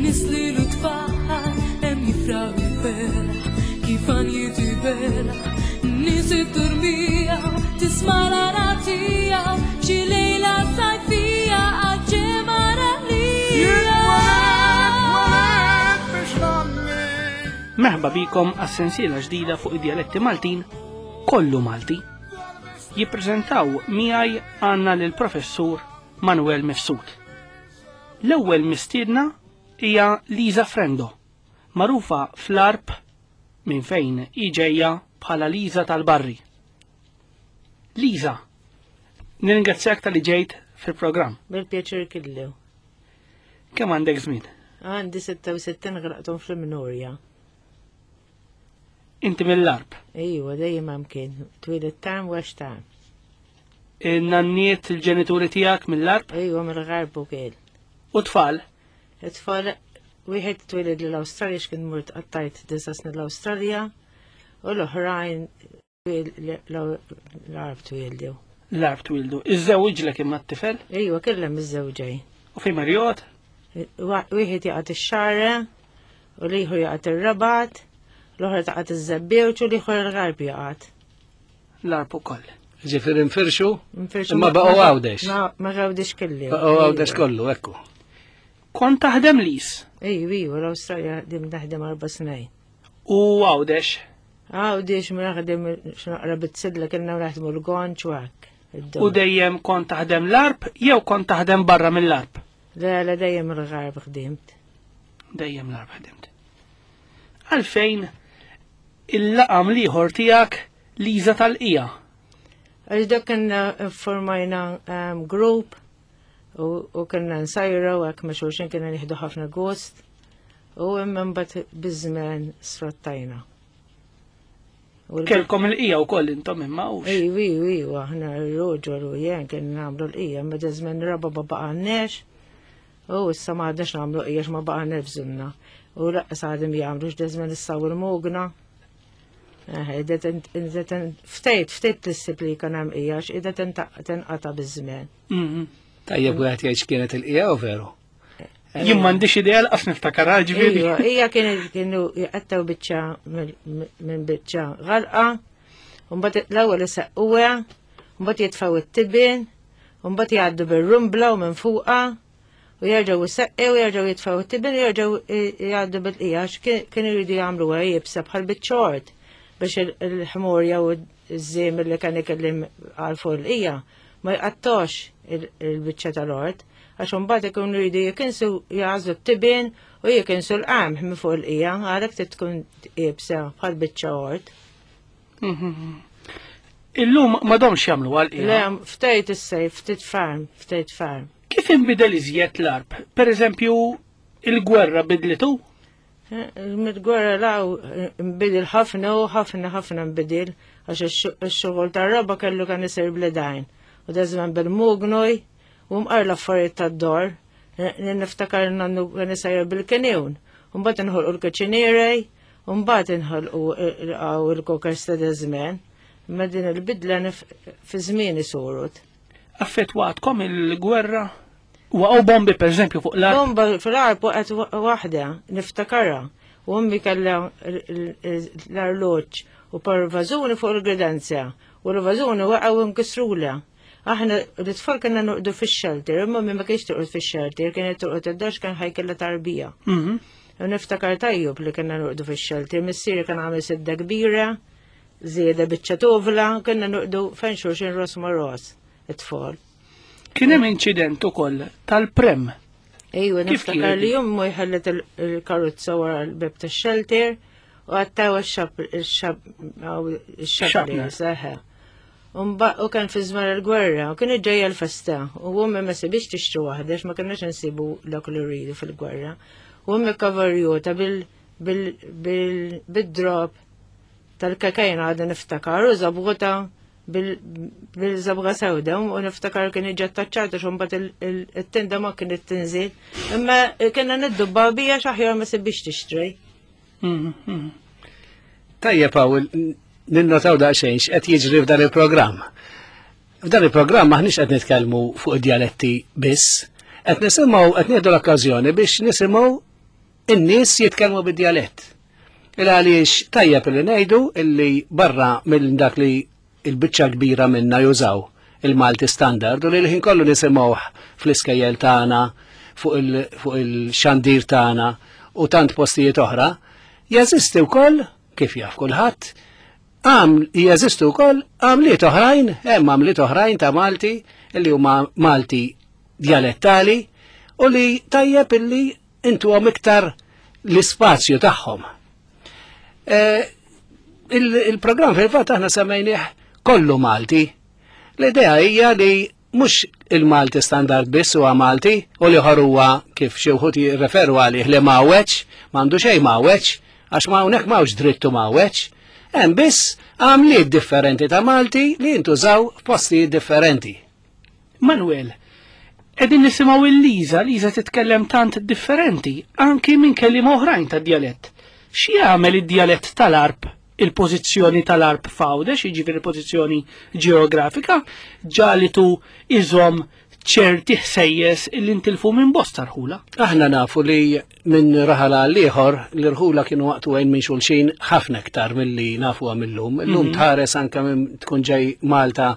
Nislilu tfal hemm jifraħ il-ferħ kif għanjiet iberħ. Nies it-turmija tisma' l-aratija f'xi lejla sajfija Merħba bikom għas-sensiela ġdida fuq id-djaletti Maltin kollu Malti. Jippreżentaw miegħi għandna lil professur Manuel Mifsud. L-ewwel mistiedna hija Liza Frendo, magħrufa fl-Għarb minn fejn hi ġejja bħala Liza tal-Barri. Liza, nirringrazzjak tal-li ġejt fil-programm. Bil-pjaċir kellu. Kemm għandek żmien? Għandi 66 graqtom fl-Minurja. Inti mill-Għarb? Ejwa, dejjem hemm kien. Twieled tam għax tam. Il-nanniet, il-ġenituri tiegħek mill-Għarb? Ejwa, mill-Għarb ukoll. U tfal? It-tfal, wieħed twilid l-Awstralja x'kien mort qattajt disa' snin l-Awstralja u l-oħrajn l-Għarb twildu. L-Għarb twildu. Iżżewġlek imma t-tifel? Ejwa, kellem iż-żewġej. U fejn marjot? Wieħed jaqgħod ix-xarra, u l-ieħor jaqgħod ir-Rabat, l-oħra taqgħod iż-Żebbiewġ u l-ieħor il-Għarb jaqgħod. L-Għarb ukoll. Ġifieri nfirxu? Nfirxu. Imma baqgħu Għawdex. Ma Għawdex kelli. Baqgħu Għawdex kollu, ekku. Kont taħdem lis? Ejju, ejju, l-Awstralja dim naħdem arba' snin. U Għawdex? Għawdex ma naħdem x'naqra bit-sidla kellna naħdmu l-gonċ u hekk. U dejjem kont taħdem l-arb jew kont taħdem barra mill-arb? Le, le dejjem l-għarb ħdimt. Dejjem l-għarb ħdimt. Għalfejn il-laqam liħor tiegħek Liza tal-qija? Għax dak kena formajna um, group u kena nsajra u għak ma xulxin kena nieħdu ħafna gost u imma mbagħad biż-żmien sfrattajna. Kelkom il-qija u koll intom imma u. Ejju, ejju, ejju, aħna r-roġor u jen kien namlu l-qija, ma żmien raba ma baqannex. U issa ma għadniex namlu qija ma baqannex bżunna. U laqqas għadhom jagħmlu x'da żmien issa u l-mugna. Ftejt, ftejt tissib li kan hemm qija x'qiegħda tenqata biż-żmien. Mhm. Tajjeb wieħed jgħid x'kienet il-qija u veru. Jien m'għandix idea l-qas niftakar ġifieri. Ija kienet kienu jqattaw biċċa minn biċċa għalqa, u mbagħad l-ewwel isaqquha, mbagħad jitfgħu it-tibien, u mbagħad jgħaddu bir-rumbla u minn fuqha, u jerġgħu jsaqqew, u jerġgħu jitfgħu it-tibien u jerġgħu jgħaddu bil-qija kienu jridu jagħmluha jibsa bħal biċ-ċort biex il-ħmurja u ż-żiem li kien ikellim għal fuq il-qija ma jqattax il-biċċa tal-ort, għax imbagħad ikunu jridu jikinsu jagħżlu t-tibien u jikinsu l-qamħ minn fuq il-qija, għalhekk trid tkun iebsa bħal biċċa ort. Mhm. Illum m'għadhomx jagħmlu għal qija. Le, ftejt is-sejf, ftit farm, ftejt farm. Kif inbidel iżjed l-arb? Per eżempju, il-gwerra bidlitu? Mid-gwerra law nbidil ħafna u ħafna ħafna nbidil għax ix-xogħol tar-raba kellu kan isir bl-idajn. U da żmien bil-mugnoj u mqar l-affarijiet tad-dor. Niftakar nannu kan isajjar bil-kenjun. Mbagħad inħolqu l-kaċinierej, u mbagħad inħolqu il-kokers ta' żmien. Imma din il-bidla fi żmien isurut. Affettwatkom il-gwerra? Waqgħu bombi per eżempju fuq l-arb? Bomba fl-arb waqgħet waħda, niftakarha. U ommi kellha l-arloġġ u par vażuni fuq il-gredenza. U l-vażuni waqgħu nkisrula. Aħna l-tfal kellna noqdu fix-shelter, imma ommi ma kienx torqod fix-shelter, kienet torqod id-dar kien ħaj kellha tarbija. Mhm. U niftakar tajjeb li kellna noqdu fix-shelter, missieri kien għamel sidda kbira, żieda biċċa tovla, kellna noqdu fejn xulxin ros ma' ros it-tfal. Kien hemm inċident ukoll tal-prem. Ejwa, niftakar li jummu jħallet il-karozza wara l-beb tax-shelter u għattaw ix-xab seħe. U kien fi żmien il-gwerra, u kien ġejja l-festa, u ummi ma sibix tixtri waħda, ma kienx nsibu dak li rridu fil-gwerra. U ummi kavarjota bil-drop tal-kakajna għadha niftakar, u zabgota bil-zabga sewda u niftakar kien iġi attaċċata xumbat il-tinda ma kienet tinżil. Imma kienna niddubba bija xaħjar ma sibix tixtri. Mhm, mhm. Tajjeb Pawl, ninnotaw daqsxejn x'qed jiġri f'dan il-programm. F'dan il-programm aħniex qed nitkellmu fuq id-dialetti biss, qed nisimgħu qed nieħdu l-okkażjoni biex nisimgħu in-nies jitkellmu bid-djalett. Il għaliex tajjeb li ngħidu illi barra minn dak li il-biċċa kbira minna jużaw il-Malti standard u li l-ħin kollu nisimgħuh fl-iskejjel tagħna fuq il-xandir tagħna u tant postijiet oħra, jeżisti wkoll kif jaf kulħadd għam jeżistu wkoll għamliet oħrajn, hemm għamliet oħrajn ta' Malti li huma Malti djalettali u li tajjeb illi intuhom iktar l-ispazju tagħhom. Eh, il-programm fil-fatt aħna semmejnieh kollu Malti. L-idea hija li mhux il-Malti standard biss huwa Malti u li huwa kif xi wħud jirreferu għalih li mawweġ, m'għandu xejn mawweġ, għax ma hawnhekk m'hawnx drittu mawweġ. Hemm biss għamliet differenti ta' Malti li jintużaw f'postijiet differenti. Manuel, qegħdin nisimgħu il-Liza, Liza titkellem tant differenti, anki minn kelliema oħrajn tad-djalett. X'jagħmel id-djalett tal-Għarb, il-pożizzjoni tal-Għarb f'Għawdex, jiġifieri il-pożizzjoni ġeografika, ġagħlitu iżomm ċerti ħsejjes li ntilfu minn bosta rħula? Aħna nafu li minn raħal għal ieħor l-irħula kienu maqtugħin minn xulxin ħafna iktar milli nafuha mill-lum. Illum tħares anke minn tkun ġej Malta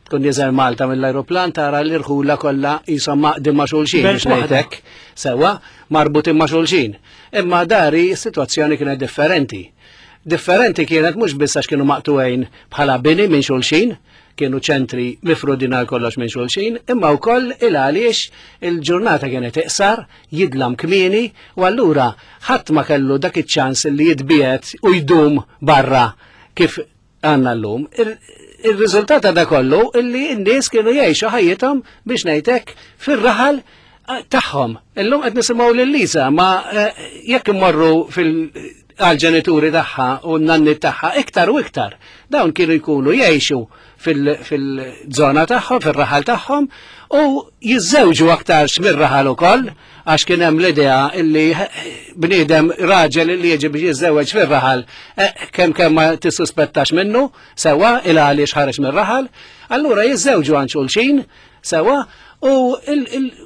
tkun nieżel Malta mill-ajruplan tara l-irħula kollha qishom maqdin ma' xulxin biex ngħidlek. Sewwa, marbutin ma' xulxin. Imma dari s-sitwazzjoni kienet differenti. Differenti kienet mhux biss għax kienu maqtugħin bħala bini minn xulxin, kienu ċentri mifrudin għal kollox minn xulxin, imma wkoll il għaliex il-ġurnata kienet iqsar, jidlam kmieni, u allura ħadd ma kellu dak iċ-ċans li jitbiegħed u jdum barra kif għandna llum. Ir-riżultat ta' da kollu illi n-nies kienu jgħixu ħajjithom biex ngħidlek fir-raħal eh, tagħhom. Illum qed nisimgħu lil Lisa ma eh, jekk immorru fil għal-ġenituri tagħha u n-nanni tagħha iktar u iktar. Dawn kienu jkunu jgħixu fil-żona tagħhom, fir-raħal tagħhom u jiżżewġu aktarx mir-raħal ukoll għax kien hemm l-idea illi bniedem raġel illi jiġi biex jiżżewweġ fir-raħal eh, kemm kemm ma tissuspettax minnu sewwa il għaliex ħareġ mir-raħal, allura jiżżewġu għand xulxin sewwa u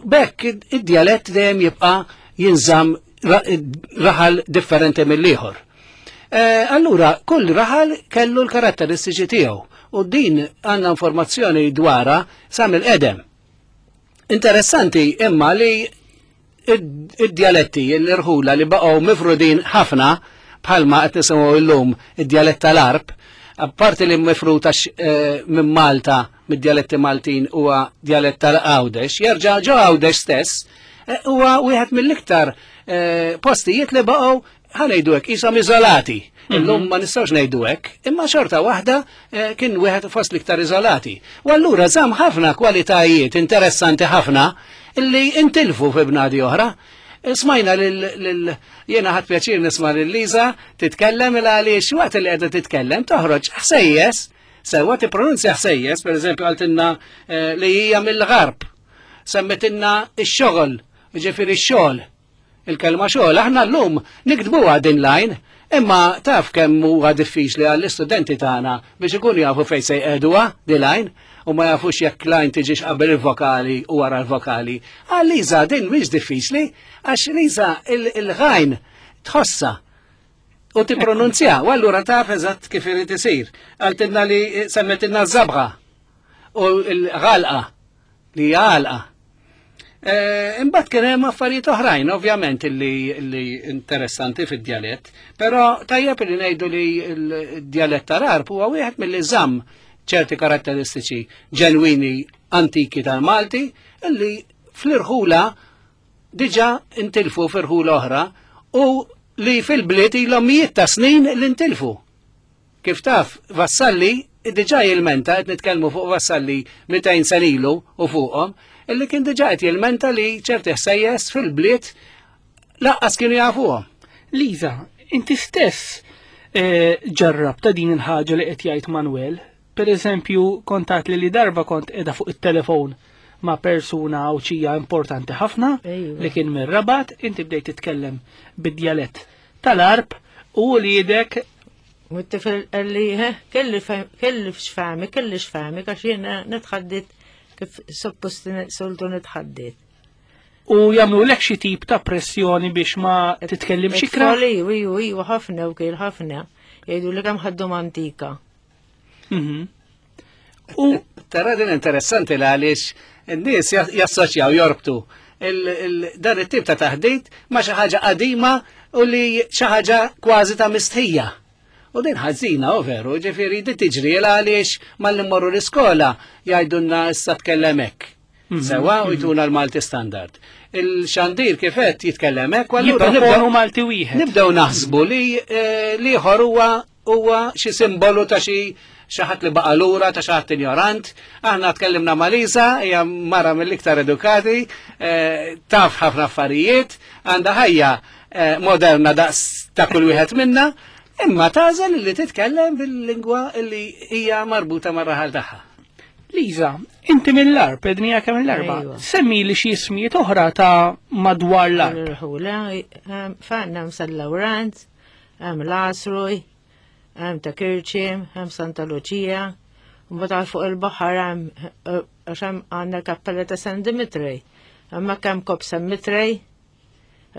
bekk id-djalett dejjem jibqa' jinżamm raħal differenti mill-ieħor. Eh, allura, kull raħal kellu l-karatteristiċi tiegħu u din għandna informazzjoni dwarha sa mill-qedem. Interessanti imma li id-djaletti l-irħula li baqgħu mifrudin ħafna bħalma qed nisimgħu llum id-djalett tal-Arb, apparti li mifrud għax eh, minn Malta mid-djaletti Maltin huwa djalett tal-Għawdex, jerġa' ġo Għawdex stess eh, huwa wieħed mill-iktar eh, postijiet li baqgħu ħanejdu hekk qishom iżolati. Mhm. Illum ma nistgħux ngħidu hekk, imma xorta waħda eh, kien wieħed fost l-iktar iżolati. U allura żamm ħafna kwalitajiet interessanti ħafna illi intilfu fi bnadi oħra. Eh, smajna lil jiena ħadd pjaċir nisma' lil Liza titkellem il għaliex waqt li qiegħda titkellem toħroġ ħsejjes, sewwa tippronunzja ħsejjes, pereżempju qaltilna eh, li hija mill-gharb. Semmetilna x-xogħol, ġifieri x-xogħol Il-kelma xogħol aħna llum niktbuha din l-għajn, imma taf kemm huwa diffiċli għall-istudenti tagħna biex ikunu jafu fejn se jqegħduha din l-għajn u ma jafux jekk l-għajn tiġix qabel il-vokali u wara l-vokali. Għal Liza din mhix diffiċli għax Liza il-ghajn tħossha u tippronunzja u allura taf eżatt kif irid isir. Qaltilna li semmetilna ż-żabħa u l-għalqa li hija għalqa. Eh, imbagħad kien hemm affarijiet oħrajn, ovvjament, li interessanti fid-djalett, però tajjeb li ngħidu li l-djalett tal-Arb huwa wieħed milli żamm ċerti karatteristiċi ġenwini antiki tal-Malti illi fl-irħula diġà intilfu f'irħula oħra u li fil-bliet ilhom mijiet ta' snin li ntilfu. Kif taf, Vassalli diġà jilmenta, qed nitkellmu fuq Vassalli 200 sena ilu u fuqhom, illi kien diġà qed jilmenta li ċerti ħsejjes fil-bliet laqqas kienu jafuhom. Liza, inti stess eh, ġarrabta din il-ħaġa li qed jgħid Manuel. Per eżempju, kontat li li darba kont qiegħda fuq it-telefon ma' persuna Għawdxija importanti ħafna li kien mir-Rabat, inti bdejt titkellem bid-djalett tal-Għarb u wliedek U t-tifel qalli, kelli kelli x'fahmi, kelli x'fahmi, għax jiena nitħaddit kif suppost soltu nitħaddit. U jagħmlulek xi tip ta' pressjoni biex ma titkellimx ikra? Tfal, Iju, iju, iju, ħafna u kien ħafna. Jgħidu li kemm ħaddhom antika. U Tara din interessanti l għaliex n-nies jassoċjaw jorbtu dan it-tip ta' taħdit ma' xi ħaġa qadima u li xi ħaġa kważi ta' mistħija. U din ħażina, u veru, ġifieri di tiġri l għaliex malli mmorru l-iskola jgħidulna issa tkellem hekk. Sewa u jtuna l-Malti standard. Il-xandir kif qed jitkellem hekk, u allura jipproponu nibdew Malti wieħed. nibdew naħsbu li eh, liħor huwa huwa xi simbolu ta' xi xi ħadd li baqa' lura ta' xi ħadd injorant. Aħna tkellimna ma' Lisa, hija mara mill-iktar edukati, eh, taf ħafna affarijiet, għandha ħajja eh, moderna daqs ta' kull wieħed minna, imma tagħżel li titkellem bil-lingwa li hija marbuta mar-raħal tagħha. Liza, inti mill-Għarb, ednija kemm mill-Arba. Ejwa. Semmi li xi ismijiet oħra ta' madwar l-Għarb. L-irħula, fanna hemm San Lawrenz, hemm l-Asruj, hemm ta' Kirċim, hemm Santa Luċija, mbagħad għal fuq il-baħar hemm eh, għax hemm għandna l-kappella ta' San Dimitri. Hemmhekk hemm Kop San Mitrej,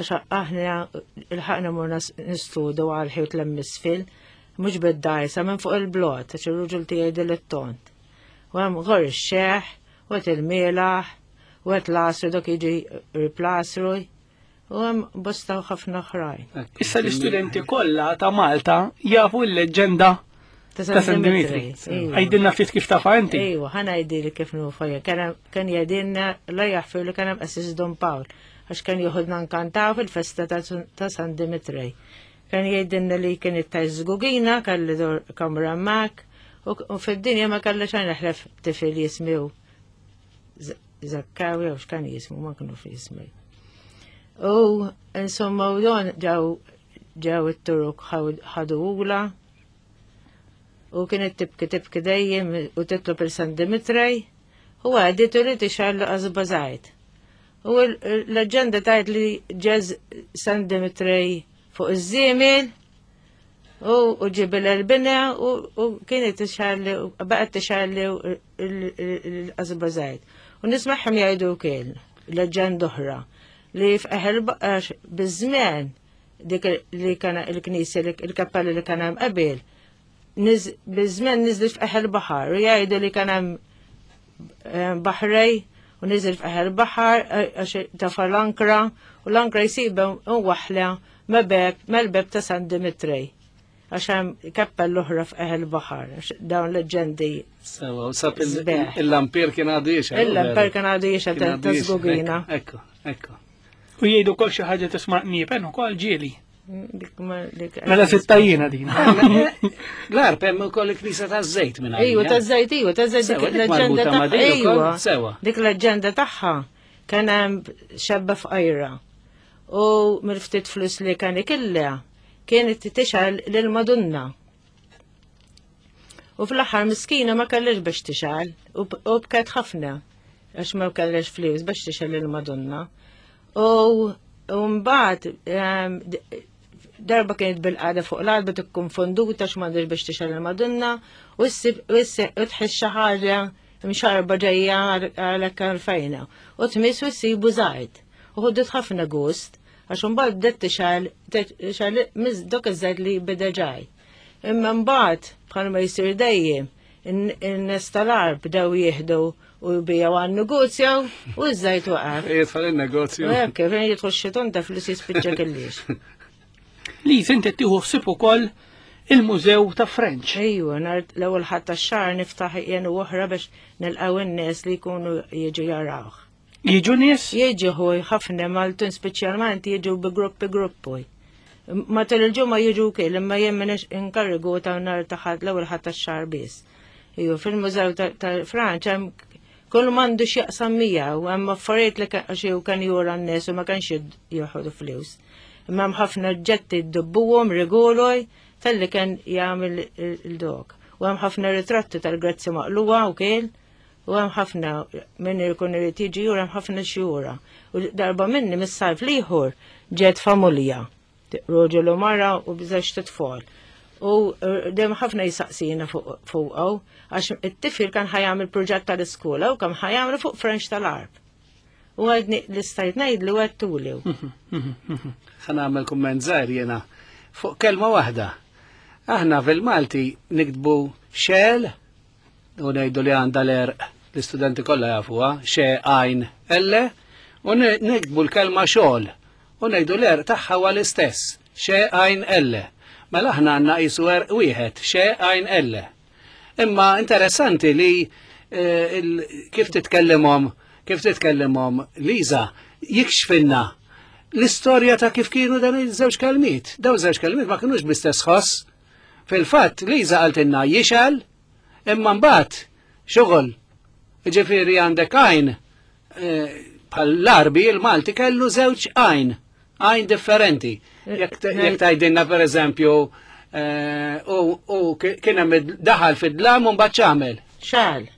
għax aħna il-ħaqna morna nistudu għal ħiwt l-emmisfil, mhux bid-dajsa minn fuq il-blot, għax ir-ruġul tiegħi dilettont. U hemm għor ix-xeħ, u qed il-mielaħ, u qed l-asru dok jiġi riplasru, u hemm bosta ħafna oħrajn. Issa l-istudenti kollha ta' Malta jafu l-leġġenda ta' San Dimitri. Iva. Għajdilna ftit kif tafa inti. Ejwa, ħana jgħidili kif nufaja. Kien jgħidilna la jaħfir li kien hemm qassis Don Pawl, għax kien joħodna nkantaw fil-festa ta' San Dimitri. Kien jgħidilna li kien it-taj żgugina, kelli dur kamra mak, u fid-dinja ma kelli xejn ħlef tifel jismiu Zakkawi jew x'kien jismu, ma kienu fi jismi. U insomma u don ġew ġew it-Turuk ħadu ula u kienet tibki tibki dejjem u titlob il San Dimitrej u għaditu li tixgħallu qasba żgħid. U l-leġenda tajt li ġeż San Dimitrej fuq iż-żiemel u ġibil l-bina u kienet tixgħalli baqgħet tixgħalli l-qasba żgħid. U nismagħhom jgħidu wkoll leġenda oħra li f'eħel baqax biż-żmien dik li kana il-knisja il-kappella li kien hemm qabel biż-żmien niżlet f'eħel baħar u jgħidu li kien hemm eh, baħrej u niżel f'eħel baħar eh, għax tafa l-ankra u l-ankra jsibha waħla ma' beb mal-beb ta' San Dimitri għax hemm kappella oħra f'eħel baħar għax dawn leġendi Sewa, u sab Sbeħ. il-lampir kien għadu jiexel. Il-lamper kien għadu jiexel ta' żgugina. Ekku, ekku. U jgħidu kol xi ħaġa tisma' qniepen ukoll ġieli. Dik ma- dik- Mela sittajjina din. L-arp hemm ukoll il-knisja taż-żejt minn Ejwa, ta' żejt, ejwa, ta' żejt dik Sewa, dik l-leġenda marbuta ma' tagħha. din ukoll, Ejwa, sewa. dik l-leġenda tagħha kien hemm xebba fqajra. U mill-ftit flus li kien ikilla kienet tixgħal lil Madonna. U fl-aħħar miskina ma kellix biex tixgħal u bket ħafna għax ma kellix flus biex tixgħal lil Madonna. U mbagħad ehm, darba kienet bil-qagħda fuq l-alba tikkonfonduta x'm'għandix biex tixgħal il-Madonna u ssib u tħiss xi ħaġa mxarba ġejja għalhekk għalfejna. U tmiss u ssibu żgħid. U ħoddit ħafna gust għax imbagħad bdiet tixgħal tixgħal dok iż-żgħid li beda ġaj. Imma mbagħad bħalma jsir dejjem in-nies tal-arb bdew jieħdu u jbijaw għan-negozju u ż-żejt waqaf. Jidħol il-negozju. U hekk, fejn jidħol xiton ta' flus jispiċċa kellix. Liz, inti tieħu ħsieb ukoll il-Mużew ta' French. Ejwa, nhar l-ewwel ħadd tax-xahar niftaħ jien u oħra biex nilqgħu n-nies li jkunu jiġu jarawh. Jiġu nies? Jiġu ħuj ħafna Maltin speċjalment jiġu bi gruppi gruppi. Matul il-ġimgħa jiġu wkoll imma jien m'iniex inkarigu ta' nhar ta' ħadd l-ewwel ħadd tax-xahar biss. Ejwa, fil-Mużew ta' Franċ hemm kull m'għandu x'jaqsam miegħu, hemm affarijiet li għax hu kien jura n-nies u ma kienx jieħdu flus. Imma hemm ħafna oġġetti ddubbuhom rigoloj tal-li kien jagħmel il-dok. U hemm ħafna ritratti tal-Grazzi Maqluwa wkoll. U hemm ħafna min ikun irid jiġi jura hemm ħafna xjura. U darba minni mis-sajf l-ieħor ġiet familja, roġel u mara u bżex titfol. U eh, dejjem ħafna jisaqsina fuqhom għax it-tifel kan ħajamel proġett tal-iskola u kam ħajamel fuq French tal-Arb. U għadni li stajt ngħidlu għedtulu. Ħa nagħmel kumment żgħir jiena fuq kelma waħda. Aħna fil-Malti niktbu xel u ngħidu li għandha l-erq l-istudenti kollha jafuha, xe għajn elle, u niktbu l-kelma xogħol u ngħidu l-erq tagħha huwa l-istess, xe għajn elle. Mela aħna għandna qisu erq wieħed, xe għajn elle. Imma interessanti li eh, kif titkellimhom kif titkellimhom Liza jikxfinna l-istorja ta' kif kienu dan iż-żewġ kelmiet. Dawn żewġ kelmiet ma kinux bl-istess ħoss. Fil-fatt, Liza qaltilna jixgħel, imma mbagħad xogħol. Ġifieri għandek għajn eh, bħal l-Arbi il-Malti kellu żewġ għajn, għajn differenti. Jekk tgħidilna pereżempju eh, u kien hemm daħal fid-dlam u mbagħad x'għamel? Xal.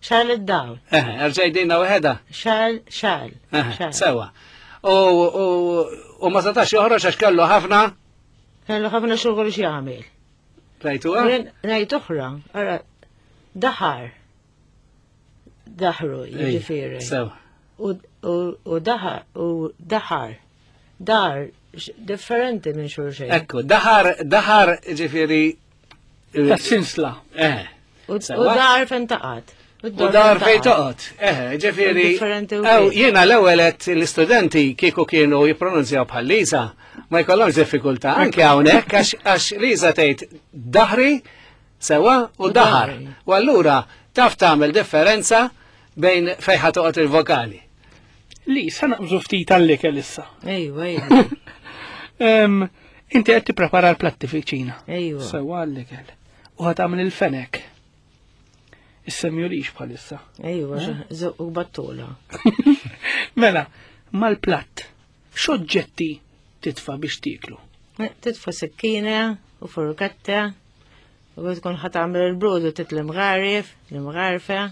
Xal id-dawl. Eh, erġajdilna waħedha. Xal, xal. Sewa. U ma setax joħroġ għax kellu ħafna. Kellu ħafna xogħol x'jagħmel. Rajtu? Rajt oħra, ara, daħar. Daħru, jiġifieri. Sewa. U daħar, u daħar. Dar, differenti minn xulxin. Ekku, daħar, daħar, ġifieri. Tas-sinsla. Eh. U dar fejn taqgħod. U dar fejn toqgħod. Eh, ġifieri. Ew, jiena l-ewwel qed l-istudenti kieku kienu jippronunzjaw bħal Liza, ma jkollhomx diffikultà anke hawnhekk għax Liza tgħid daħri sewa u daħar. U allura taf tagħmel differenza bejn fejn ħa toqgħod il-vokali. Li, sa naqbżu ftit għall-ikel issa. Ejwa, ejwa. Inti qed tipprepara l-platti fil-ċina. Ejwa. Sewa għall-ikel. U ħa tagħmel il-fenek. Is-semjulix bħalissa. Ejwa, eh? u battula. Mela, mal-platt, x'oġġetti titfa' biex tieklu? Eh, titfa' sikkina u furketta u tkun ħa tagħmel il-brodu titli mgharif, l-imgharfa.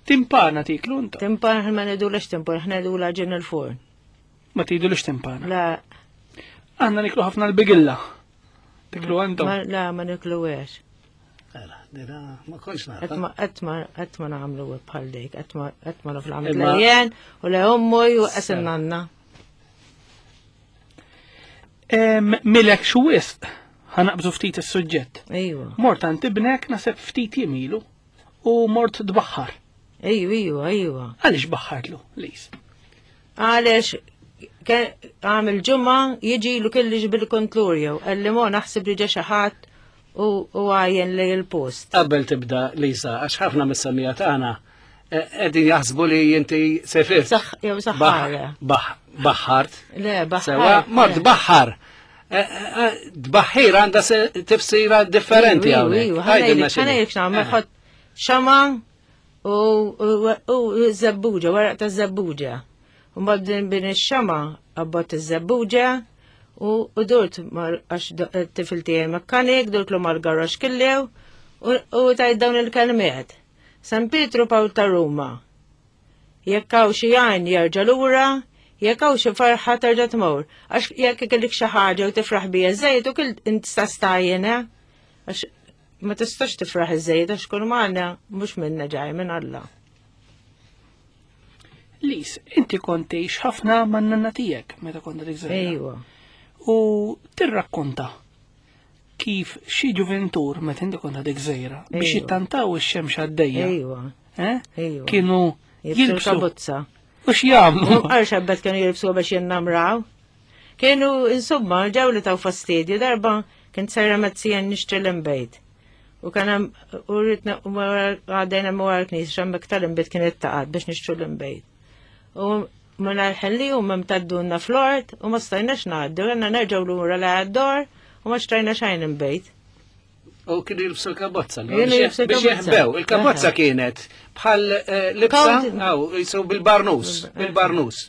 Timpana tiklu inta? Timpana ma ngħidulux timpana, ħna ngħidula ġin il-forn. Ma tgħidulux timpana? La. Għandna niklu ħafna l-bigilla. Tiklu għandhom? La, ma niklu għex. Ma konx naf. Qatt ma nagħmlu bħal dik, qatt ma naf l-għamil l u le ommu u qasem nanna. Milek xu wisq, ħanaqbżu ftit is-suġġett. Ejwa. Mort għand ibnek naseb ftit jemilu u mort tbaħħar. Ejwa, ejwa, ejwa. Għaliex baħħartlu, Lis? Għaliex għamil ġumma jiġi lu kellix bil-kontlur jew għalli mo naħseb li ġa xi ħadd u għajjen li l-post. Qabel tibda Lisa, għax ħafna mis-semija tagħna eh, qegħdin jaħsbu li inti sefirt. Jew saħħara. Baħħart. Le, baħħar. Mort baħħar. Eh, eh, tbaħħir għandha tifsira differenti hawnhekk. Ħanejlek x'nagħmel xama U żebbuġa, weraq ta' żebbuġa. U mbagħad bin ix-xama abbott iż-żebbuġa u durt għax tifil tiegħi mekkanik, durt lu mal-garax killew u tajt dawn il-kelmiet. San Pietru Pawl ta' Ruma. Jekk hawn xi għajn jerġa' lura, jekk hawn xi farħa terġa' tmur. Għax jekk ikellek xi ħaġa u tifraħ bija żejt u kil int stastajjen, eh? Għax Ma tistax tifraħ iżejjed għax kull magħna mhux minna ġaj minn Alla. Lis, inti kont tgħix ħafna man-nanna tiegħek meta kont dik żgħira. Ejwa. U tirrakkonta kif xi ġuventur meta inti kont għadek żgħira biex jittantaw ix-xemx għaddejja. Ejwa. Eh? Ejwa. Kienu jilbsu kabozza. U x'jagħmlu? Għal xabbet kienu jilbsu biex jinnamraw. Kienu, insomma, ġew li taw fastidju darba kien sejra mezzija nixtri l-imbejt. U kien hemm u rritna u għaddejna wara l-knisja x'hemmhekk tal-imbejt kienet taqgħod biex nixtru l-imbejt. U minn ħelli u mem taddunna fl-ort u ma stajnax ngħaddu, għandna nerġgħu lura la għad-dor u ma xtrajna xejn imbejt. U kienu jilbsu l-kabozza. Kienu jilbsu Biex l-kabozza. jeħbew. Il-kabozza kienet bħal eh, libsa, Kawt- aw, jisu bil-barnus, bil-barnus.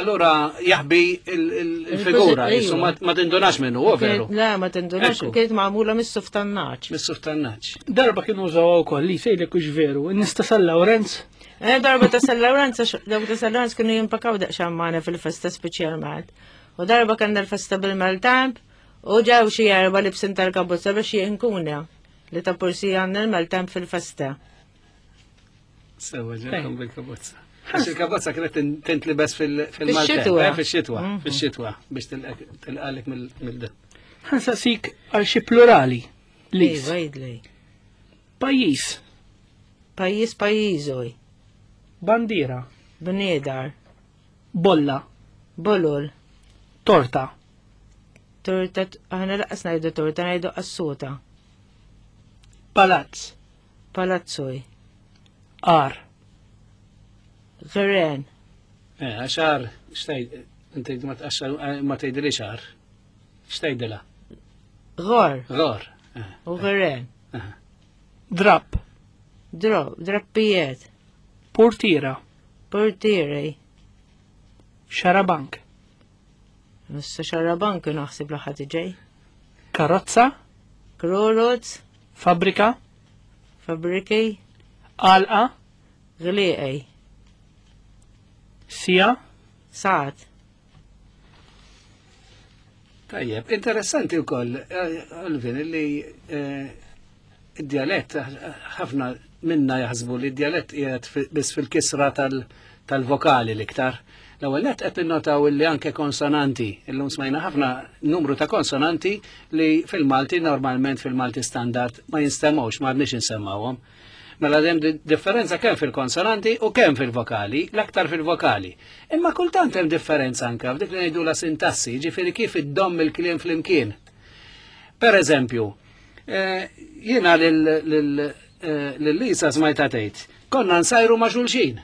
Allura jaħbi il-figura, jisu ma ma tindunax minnu, u veru. Le, ma tindunax, Ekku. kienet magħmula mis-suf tan-naċ. Mis-suf tan-naċ. Darba kienu użaw wkoll li sejlek hux veru, in-nies ta' San Lawrenz Eh, darba ta' San Lawrenz, għax dawk ta' San Lawrenz kienu jimpakaw daqsxejn magħna fil-festa speċjalment. U darba kellna l-festa bil-Maltemp, U ġew xi erba' libsin tal-kabozza biex jinkuna li ta' pursi għandna l-maltemp fil-festa. Sewa ġekom bil-kabozza. Għax il-kapozza kienet tintlibes fil-xitwa. Eh, fil-xitwa, mhm. fil-xitwa, biex tilqalek mill-d. Ħansaqsik għal xi plurali. Lis. Iva, Pajjiż. Pajjiż pajjiżoj. Bandiera. Bniedar. Bolla. Bolol. Torta. Torta, aħna laqas ngħidu torta, ngħidu qassuta. Palazz. Palazzoj. Ar. Għren. Eh, għaxar, xtajd, inti ma tqaxxar, eh, ma tgħidilix għar. X'tgħidilha? Għor. Għor. Eh. U għren. Eh. Drap. Dro, drappijiet. Portiera. Portieri. Xarabank. Issa xarabank naħseb l-ħadd ġej. Karozza. Kroroz. Fabrika. Fabriki. Alqa. Gliqej. Sija. Saat. Tajjeb, interessanti wkoll, eh, Alvin, li eh, id-dialett, ħafna minna jaħsbu li d-dialett qiegħed biss fil-kisra tal-vokali l-iktar. L-ewwel nett qed ninnotaw li anke konsonanti, illum smajna ħafna numru ta' konsonanti li fil-Malti normalment fil-Malti standard ma jinstemgħux, ma għadniex insemmawhom. Mela hemm differenza kemm fil-konsonanti u kemm fil-vokali, l-aktar fil-vokali. Imma kultant hemm differenza anke f'dik li ngħidu la sintassi, ġifieri kif iddomm il-kliem flimkien. Per eżempju, eh, jiena lil eh, Lisa smajta tgħid, konna nsajru ma' xulxin.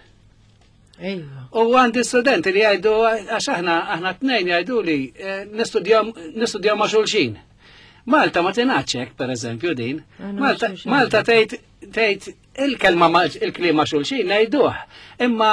U għandi studenti li jgħidu, għax aħna aħna tnejn jgħidu li eh, nistudjaw ma' xulxin. Malta ma tingħadx hekk, per eżempju, din. Malta tgħid tgħid il-kelma il-kliem ma' xulxin ngħiduh, imma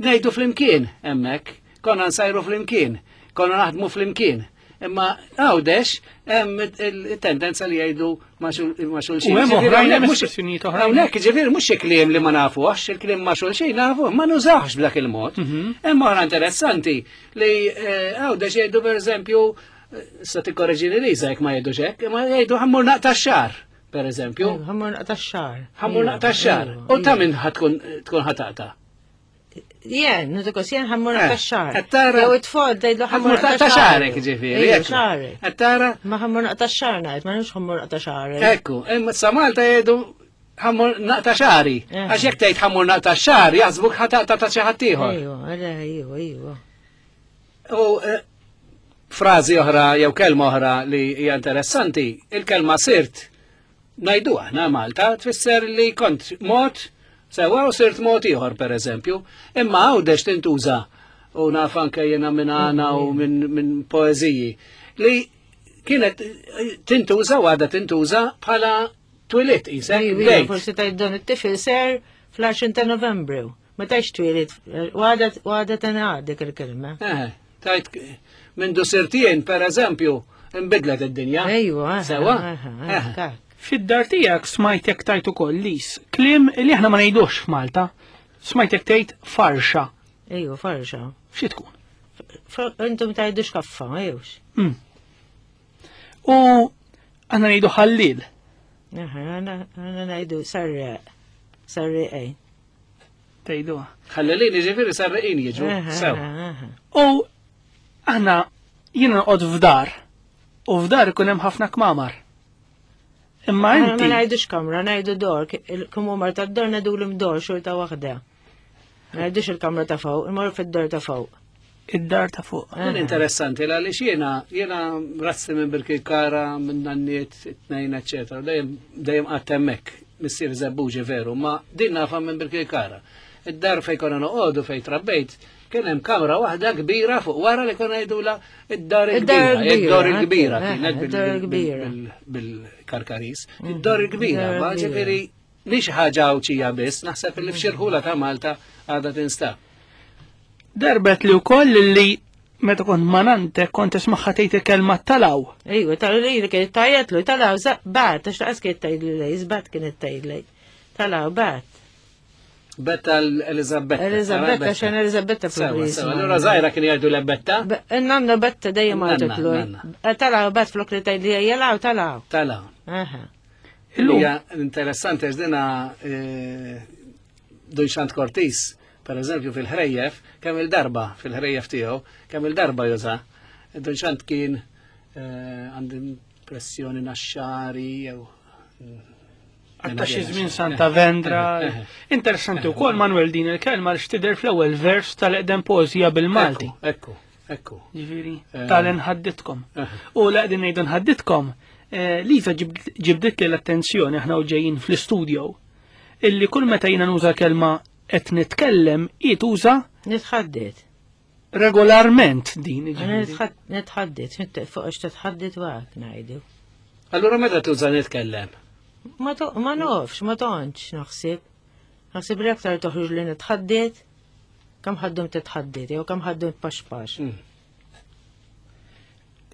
ngħidu flimkien hemmhekk, konna nsajru flimkien, konna naħdmu flimkien. Imma għawdex hemm il-tendenza li jgħidu ma' xulxin. U hemm oħrajn hemm espressjonijiet oħrajn. Hawnhekk ġifieri mhux xi kliem li ma nafuhx, il-kliem ma' xulxin nafuh, ma nużawx b'dak il-mod. Mhm. Hemm oħra interessanti li eh, għawdex jgħidu pereżempju eh, sa tikkoreġini Liza jekk ma jgħidux hekk, ma jgħidu ħammur naqta' xar per eżempju. Ħammur naqta' xar. Ħammur naqta' xar. U ta' minn tkun ħataqta'. Jen, nutukos, jen ħammur eh, naqta xar. Għattara. Jew it-tfol, tgħidlu ħammur naqta xarek, ġifieri. Xarek. Għattara. Ma ħammur naqta xar ngħid, ma nux ħammur naqta xarek. Ekku, imma sa Malta jgħidu ħammur naqta xari. Eh. Għax jekk tgħid ħammur naqta xar, jaħsbuk ħataqta ta' xi ħadd ieħor. Ejwa, ejwa, ejwa. U eh, frażi oħra jew kelma oħra li hija interessanti, il-kelma sirt Ngħidu aħna Malta tfisser li kont mod sewa u sirt mod ieħor pereżempju, imma Għawdex tintuża u naf anke jiena minn għana u minn min poeżiji li kienet tintuża u għadha tintuża bħala twilit isek. Forsi tgħid dan it-tifel ser fl-10 ta' Novembru. Ma tgħidx twilit, għadha tingħad dik il-kelma. Eh, tajt minn du sirtien per eżempju, imbidlet id-dinja. Ejwa, sewa. Eh, Fid-dar tiegħek smajtek tajt ukoll lis, kliem li aħna ma ngħidux f'Malta. Smajtek tgħid farxa. Ejwa, farxa. Xi tkun? Intom tgħidux kaffa, ejwx. Mm. U aħna ngħidu ħallil. Aħna ngħidu sarreq. Sarreq ej. Tgħiduha. Ħallelin jiġifieri sarreqin jiġu. Sew. U aħna jiena noqgħod f'dar u f'dar ikun hemm ħafna kmamar. Imma inti. Ma ngħidux kamra, ngħidu dor, il-kmamar tad-dor ngħidu l-imdor xorta waħda. Ma ngħidux il-kamra ta' fuq, imorru fid-dor ta' fuq. Id-dar ta' fuq. Din interessanti għaliex jiena jiena razzi minn Birkirkara, minn nanniet, it-tnejn, eċetera, dejjem dejjem qatt hemmhekk, missier żebbuġi veru, ma din nafa minn Birkirkara. Id-dar fejn konna noqogħdu fejn trabbejt, kien hemm kamra waħda kbira fuq wara li konna jgħidula id-dar il-kbira, id-dar il-kbira kienet bil-karkaris, id-dar il-kbira, ma ġifieri mhix ħaġa Għawdxija biss, naħseb li f'xi rħula ta' Malta għadha tinstab. Darbet li wkoll li meta kont ma' nante kont tismagħha tgħid il-kelma talaw. Ejwa, talaw li kienet tgħajjatlu, talaw bat, għax laqas kienet tgħidli lej, żbat kienet tgħidli. Talaw bat. Betta l-Elizabetta. Elizabetta, xan Elizabetta Sewa, allura zaħira kien jgħidu l-Betta? Nanna Betta dejjem għajtlu. Talaw bat flok li tgħidli jelaw, talaw. Talaw. Hija interessanti għax dina eh, Dun Xant Cortis. Per eżempju fil-ħrejjef, kemm il-darba fil-ħrejjef tiegħu, kemm il-darba juża. Dun Xand kien eh, għandi impressjoni naxxari jew Għatta xi żmien Santa Vendra. Interessanti wkoll Manuel din il-kelma li xtider fl-ewwel vers tal-eqdem poeżija bil-Malti. Ekku, ekku. Ġifieri, eh. tal-inħadditkom. Eh. U l-qegħdin ngħidu nħadditkom, eh, Liza ġibdit li l-attenzjoni aħna u ġejjin fl-istudio illi kull meta jiena nuża kelma qed nitkellem hi tuża Nitħaddit. Regolarment din. Nitħaddit, fuq għax titħaddit waqt ngħidu. Allura meta tuża nitkellem? Ma nofx, ma tontx naħseb. Naħseb li aktar toħroġ li nitħaddit, kemm ħaddum titħaddit, jew kemm ħaddum tpaxpax.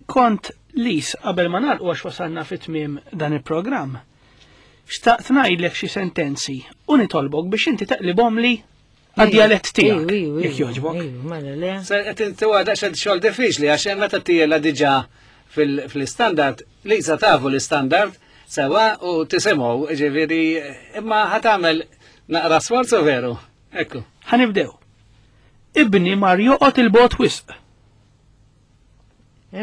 Kont Lis qabel ma nagħlqu għax wasalna fi tmiem dan il-programm. Xtaqt ngħidlek xi sentenzi u nitolbok biex inti taqlibhom li għad-djalett tiegħek. Jekk jogħġbok. Mela le. Tuwa daqsxejn xogħol diffiċli għax meta tiela diġà fil-standard, Lisa tafu l-standard sewa u tisimgħu, ġifieri imma ħatamel naqra sforzu veru. Ekku. Ħanibdew. Ibni mar joqgħod il-bot wisq.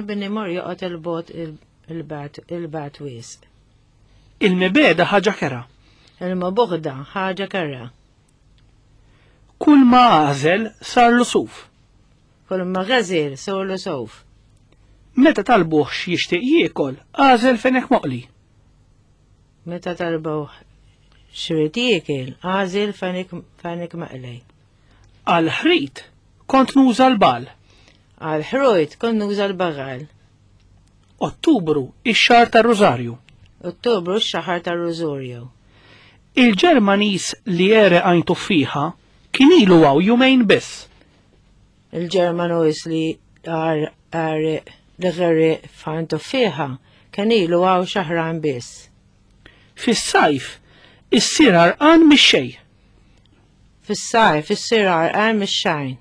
Ibni mar joqgħod il-bot il-bat wisq. Il-mibeda ħaġa kera. Il-mabuħda ħaġa kera. Kull ma għażel sarlu suf. Kull ma għażel sarlu suf. Meta talbuh x'jixtieq jiekol, għażel fenek moqli. Meta talbuh x'irid jiekol, għażel fenek maqli. Għal ħrit kont nuża l-bal. Għal ħrujt kont nuża l-bagal. Ottubru ix-xahar tar-Rużarju. Ottubru x-xahar tar-Rużarju. Il-Ġermaniż li għereq għajn tuffieħa kien ilu hawn jumejn biss. Il-Ġermanuż li għereq li għereq f'għajn tuffieħa kien ilu hawn xahrajn biss. Fis-sajf issir għarqan mix-xejn. Fis-sajf issir għarqan mix-xejn.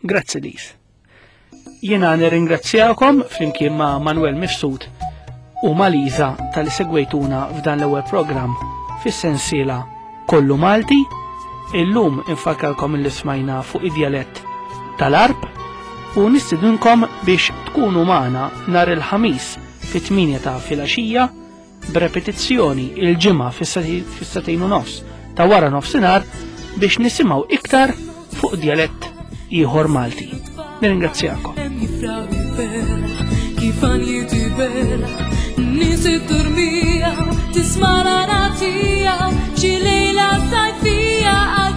Grazzi Lis. Jiena nirringrazzjakom flimkien ma' Manuel Mifsud u ma' Liza tal-li segwejtuna f'dan l-ewwel programm fis-sensiela Kollu Malti. Illum infakkarkom li smajna fuq id-djalett tal-Arb u nistidinkom biex tkunu magħna nhar il-Ħamis fit-8 ta' filgħaxija b'repetizzjoni il-Ġimgħa fis-sagħtejn u nofs ta' wara nofsinhar biex nisimgħu iktar fuq djalett ieħor Malti. Nirringrazzjakom. Tisma' l-għana tiegħu xi lejla sajfija.